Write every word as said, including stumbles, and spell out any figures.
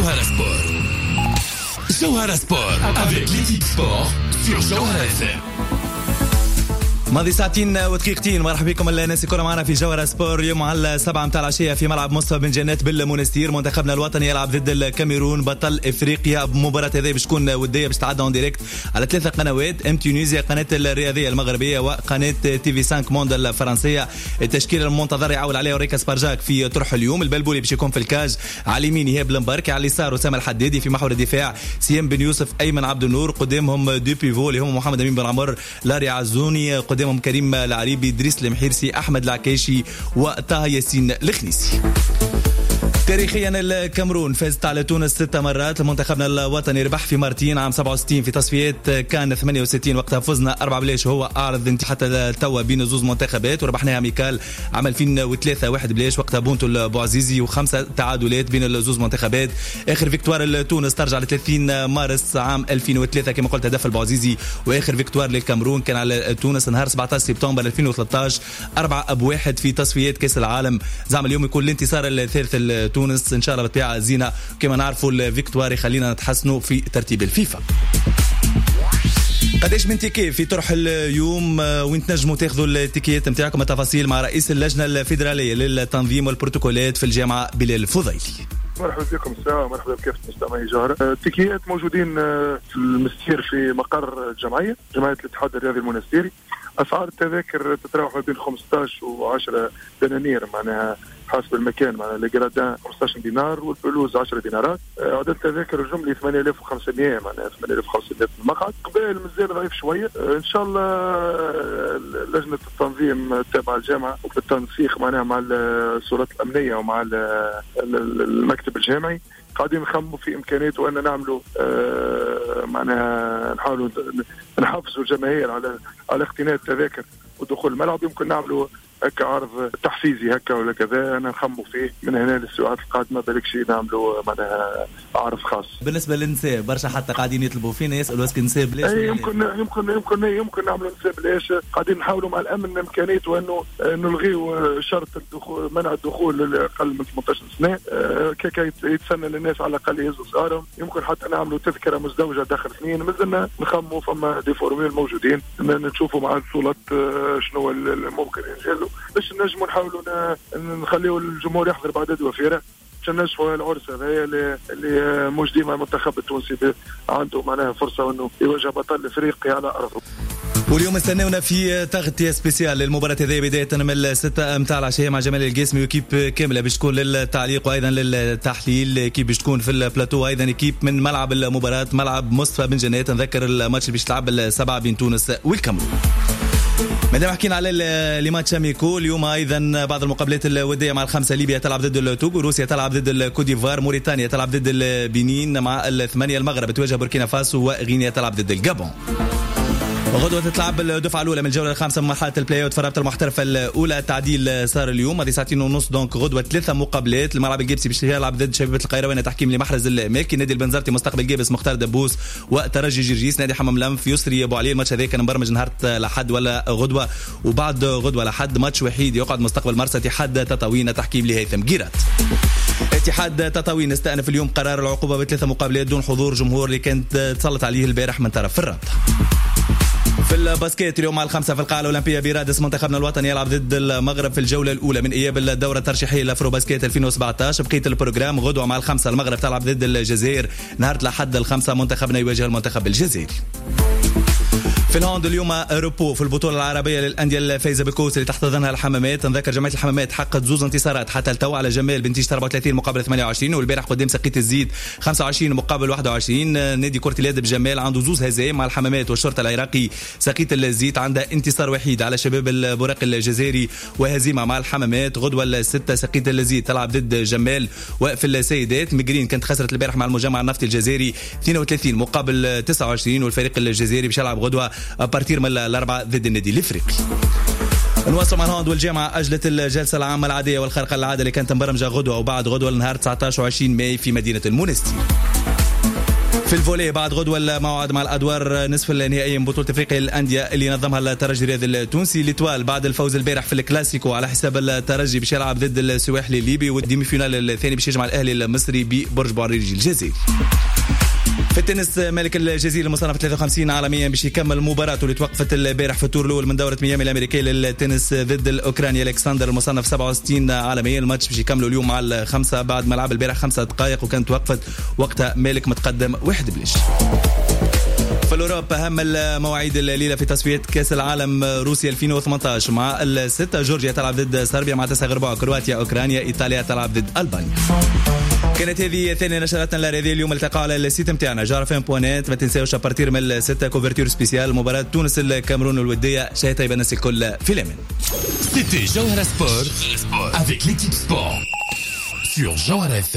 جوهرة سبور. جوهرة سبور avec l'équipe sport sur جوهرة اف ام. ماضي ساعتين ودقيقتين، مرحبا بكم الناس الكل معنا في جوهرة سبور. اليوم على سبعة متاع العشية في ملعب مصطفى بن جنات بالمونستير، منتخبنا الوطني يلعب ضد الكاميرون بطل افريقيا. مباراة هذه باش تكون ودية، باش تعدى en direct على ثلاثة قنوات: ام تونيزيا، قناة الرياضية المغربية، وقناة تي في خمسة موند الفرنسية. التشكيل المنتظر يعول عليه اوريكا سبارجاك في طرح اليوم: البلبولي باش يكون في ال cage، على اليمين ايهاب المباركي، على اليسار اسامة الحدادي، في محور الدفاع سيام بن يوسف، ايمن عبد النور، قدامهم deux pivots اللي هم محمد امين بن عمر، لاري عزوني، قدامهم كريم العريبي، دريس المحيرسي، احمد العكايشي وطه ياسين الخنيسي. تاريخيا، الكاميرون فازت على تونس ست مرات. منتخبنا الوطني ربح في مرتين، عام سبعة وستين في تصفيات كان ثمانية وستين، وقتها فزنا أربعة بلاش، هو أعرض حتى توا بين زوز منتخبات، وربحناها amical عام ألفين وثلاثة واحد بلاش، وقتها بونتو البوعزيزي، وخمسة تعادلات بين الزوز منتخبات. اخر victoire لتونس ترجع ل ثلاثين مارس عام ألفين وثلاثة، كما قلت هدف البوعزيزي. واخر victoire للكاميرون كان على تونس نهار سبعة عشر سبتمبر ألفين وثلاثة عشر، أربعة بواحد في تصفيات كاس العالم. زعما اليوم يكون الانتصار الثالث لتونس؟ ان شاء الله بالطبيعة زينه، كما نعرفوا ال victoire يخلينا نتحسنوا في ترتيب الفيفا. قداش من ticket في طرح اليوم؟ وين تنجموا تاخذوا التيكيات نتاعكم؟ التفاصيل مع رئيس اللجنة الفيدرالية للتنظيم والبروتوكولات في الجامعة بلال الفضيلي. مرحبا بكم الساعة، مرحبا بكافة مستمعي جوهرة. التيكيات موجودين في المستير في مقر الجمعية، جمعية الاتحاد الرياضي المونستيري. أسعار التذاكر تتراوح ما بين خمسة عشر و عشرة دنانير، معناها حسب المكان، معناها les gradins خمسة عشر دينار وال pelouse عشرة دينارات. آه، عدد التذاكر الجملي ثمانية آلاف وخمسمية، معناها ثمانية آلاف وخمسمية في المقعد. اقبال مازال ضعيف شويه. آه، ان شاء الله آه، لجنة التنظيم التابعة للجامعة وبالتنسيق معناها مع السلطات الامنية ومع المكتب الجامعي قاعدين نخموا في امكانية وان نعملوا آه معناها نحاولوا نحفزوا الجماهير على على اقتناء التذاكر ودخول الملعب. يمكن نعملوا هكا عرض تحفيزي هكا ولا كذا، انا نخموا فيه من هنا للساعات القادمه، بالك شيء نعملوا معناها عرض خاص. بالنسبة للنساء، برشا حتى قاعدين يطلبوا فينا، يسالوا est-ce que نساء بلاش؟ اي، يمكن يمكن يمكن يمكن نعملوا نساء بلاش. قاعدين نحاولوا مع الامن امكانية وانه نلغيو شرط الدخول، منع الدخول اقل من ثمنطاش سنه، آه، كي يتسنى للناس على الاقل يهزوا صغارهم. يمكن حتى نعملوا تذكره مزدوجة داخل اثنين. مازلنا نخموا، فما des formules موجودين، نشوفوا مع السلطات آه، شنو الممكن انجازه باش نجموا نحاولوا نخليوا الجمهور يحضر بعدد وفيرة باش ننجحوا العرس هذايا اللي, اللي مش ديما المنتخب التونسي عنده معناها فرصة انه يواجه بطل افريقيا على ارضه. واليوم استناونا في تغطية spéciale للمباراة هذه، بداية من الستة متاع العشية مع جمال القاسمي و équipe كاملة باش تكون للتعليق وأيضا للتحليل، équipe باش تكون في البلاتو، أيضا équipe من ملعب المباراة، ملعب مصطفى بن جنات. نذكر الماتش اللي باش تلعب السبعة بين تونس والكاميرون. مادام حكينا على les matchs amicaux، اليوم ايضا بعض المقابلات الوديه: مع الخمسة ليبيا تلعب ضد التوغو، روسيا تلعب ضد الكوديفوار، موريتانيا تلعب ضد البنين. مع الثمانية المغرب تواجه بوركينا فاسو، وغينيا تلعب ضد الجابون. غدوة تتلعب الدفعة الأولى من الجولة الخامسة من مرحلة البلاي اوت في الرابطة المحترفة الأولى. التعديل صار اليوم، هذه ساعتين ونص، donc غدوة ثلاثة مقابلات: الملعب القابسي باش يلعب ضد شبيبة القيروان، تحكيم لمحرز المالكي. نادي البنزرتي مستقبل قابس، مختار دبوس. وترجي جرجيس نادي حمام لنف، يسري ابو علي. الماتش هذا كان مبرمج نهار لحد ولا غدوة، وبعد غدوة لحد ماتش وحيد يقعد، مستقبل مرسى اتحاد تطاوين، تحكيم لهيثم جيرات. اتحاد تطاوين استأنف اليوم قرار العقوبة بثلاثة مقابلات دون حضور جمهور اللي كانت تسلط عليه البارح من طرف الرابطة. في ال basket، اليوم على الخمسة في القاعة الأولمبية برادس، منتخبنا الوطني يلعب ضد المغرب في الجولة الأولى من إياب الدورة الترشيحية لأفرو باسكيت ألفين وسبعة عشر. بقية ال programme: غدوة مع الخمسة المغرب تلعب ضد الجزائر، نهار الأحد الخمسة منتخبنا يواجه المنتخب الجزائري. في ال hand، اليوم repos في البطولة العربية للأندية الفايزة بالكوس اللي تحتضنها الحمامات. نذكر جمعية الحمامات حققت زوز انتصارات حتى التو، على جمال بنتيجة أربعة وثلاثين مقابل ثمانية وعشرين، والبارح قدام سقية الزيت خمسة وعشرين مقابل واحد وعشرين. نادي كرة اليد بجمال عنده زوز هزايم مع الحمامات والشرطة العراقي. سقية الزيت عندها انتصار وحيد على شباب البراق الجزائري وهزيمة مع الحمامات. غدوة الستة سقية الزيت تلعب ضد جمال. وفي السيدات، مقرين كانت خسرت البارح مع المجمع النفطي الجزائري اثنين وثلاثين مقابل تسعة وعشرين، والفريق الجزائري باش يلعب غدوة à partir من الأربعة ضد النادي الإفريقي. نواصل مع ال hand، والجامعة أجلت الجلسة العامة العادية والخارقة للعادة اللي كانت مبرمجة غدوة وبعد غدوة لنهار تسعة عشر وعشرين ماي في مدينة المونستير. في ال volley، بعد غدوة الموعد مع الادوار نصف النهائية من بطوله افريقيا للاندية اللي نظمها الترجي الرياضي التونسي. l'Étoile بعد الفوز البارح في الكلاسيكو على حساب الترجي باش يلعب ضد السواحلي الليبي، وال demi-finale الثاني باش يجمع الاهلي المصري ببرج بوعريريج الجزائري. في التنس، مالك الجزيري المصنف ثلاثة وخمسين عالميا باش يكمل مباراته اللي توقفت البارح في ال tour الاول من دوره ميامي الامريكية للتنس ضد الاوكراني الكسندر المصنف سبعة وستين عالميا. الماتش باش يكملوا اليوم مع الخمسة بعد ما لعب البارح خمسة دقائق وكانت وقفت وقتها مالك متقدم واحد بلاش. في l'Europe، اهم المواعيد الليلة في تصفيات كاس العالم روسيا ألفين وثمنطاش، مع الستة جورجيا تلعب ضد صربيا، مع تسعة غير ربع كرواتيا اوكرانيا، ايطاليا تلعب ضد البانيا. كانت هذه ثاني نشراتنا الرياضية اليوم. التقاء على ال site نتاعنا جوهرة اف ام point net. ما تنساوش à partir من الستة couverture spéciale مباراة تونس الكاميرون الودية. شهية طيبة الناس الكل، في الامان. C'était Jawhara Sport avec l'équipe sport sur Jawhara F M.